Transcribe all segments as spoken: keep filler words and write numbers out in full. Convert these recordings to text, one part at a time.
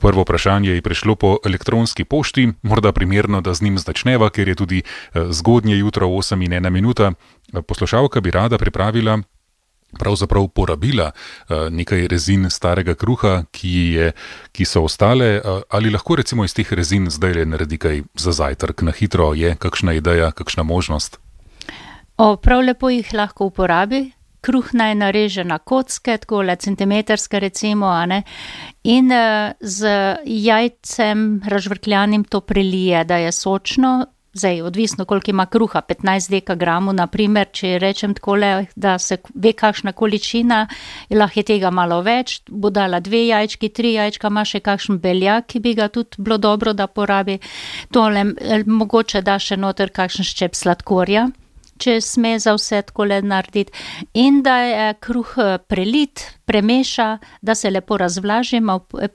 prvo vprašanje je prišlo po elektronski pošti, morda primerno, da z njim začneva, ker je tudi zgodnje jutro, osem in ena minuta. Poslušalka bi rada pripravila, pravzaprav porabila nekaj rezin starega kruha, ki, je, ki so ostale. Ali lahko recimo iz teh rezin zdaj naredi kaj za zajtrk? Na hitro je kakšna ideja, kakšna možnost? O, prav lepo jih lahko uporabi. Kruh naj nareže na kocke, takole centimetrske recimo, a ne, in uh, z jajcem razžvrkljanim to prelije, da je sočno. Zdaj, odvisno, koliko ima kruha, petnajst dekagramov, na primer, če rečem takole, da se ve kakšna količina, lahko je tega malo več, bo dala dve jajčki, tri jajčka, ima še kakšen beljak, ki bi ga tudi bilo dobro, da porabi. Tole, mogoče da še noter kakšen ščep sladkorja, če sme za vse takole narediti, in da je kruh prelit, premeša, da se lepo razvlaži,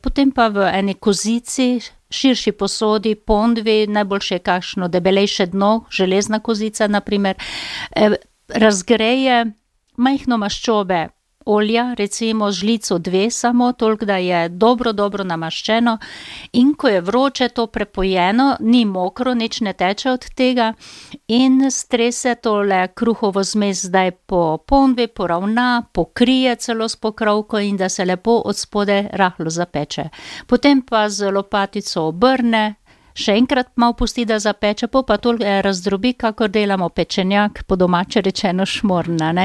potem pa v eni kozici, širši posodi, pondvi, najboljše je kakšno debelejše dno, železna kozica na primer, razgreje majhno maščobe olja, recimo žlico dve samo, toliko da je dobro, dobro namaščeno, in ko je vroče to prepojeno, ni mokro, nič ne teče od tega, in strese tole kruhovo zmes zdaj po ponvi, poravna, pokrije celo s pokrovko in da se lepo od spode rahlo zapeče. Potem pa z lopatico obrne, še enkrat malo pusti, da zapeče, po pa to razdrobi, kakor delamo pečenjak, po domače rečeno šmorna, ne.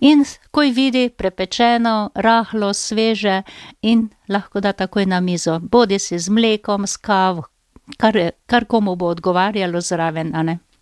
In ko je vidi prepečeno, rahlo, sveže in lahko da takoj na mizo, bodi si z mlekom, s kavo, kar, kar komu bo odgovarjalo zraven, a ne.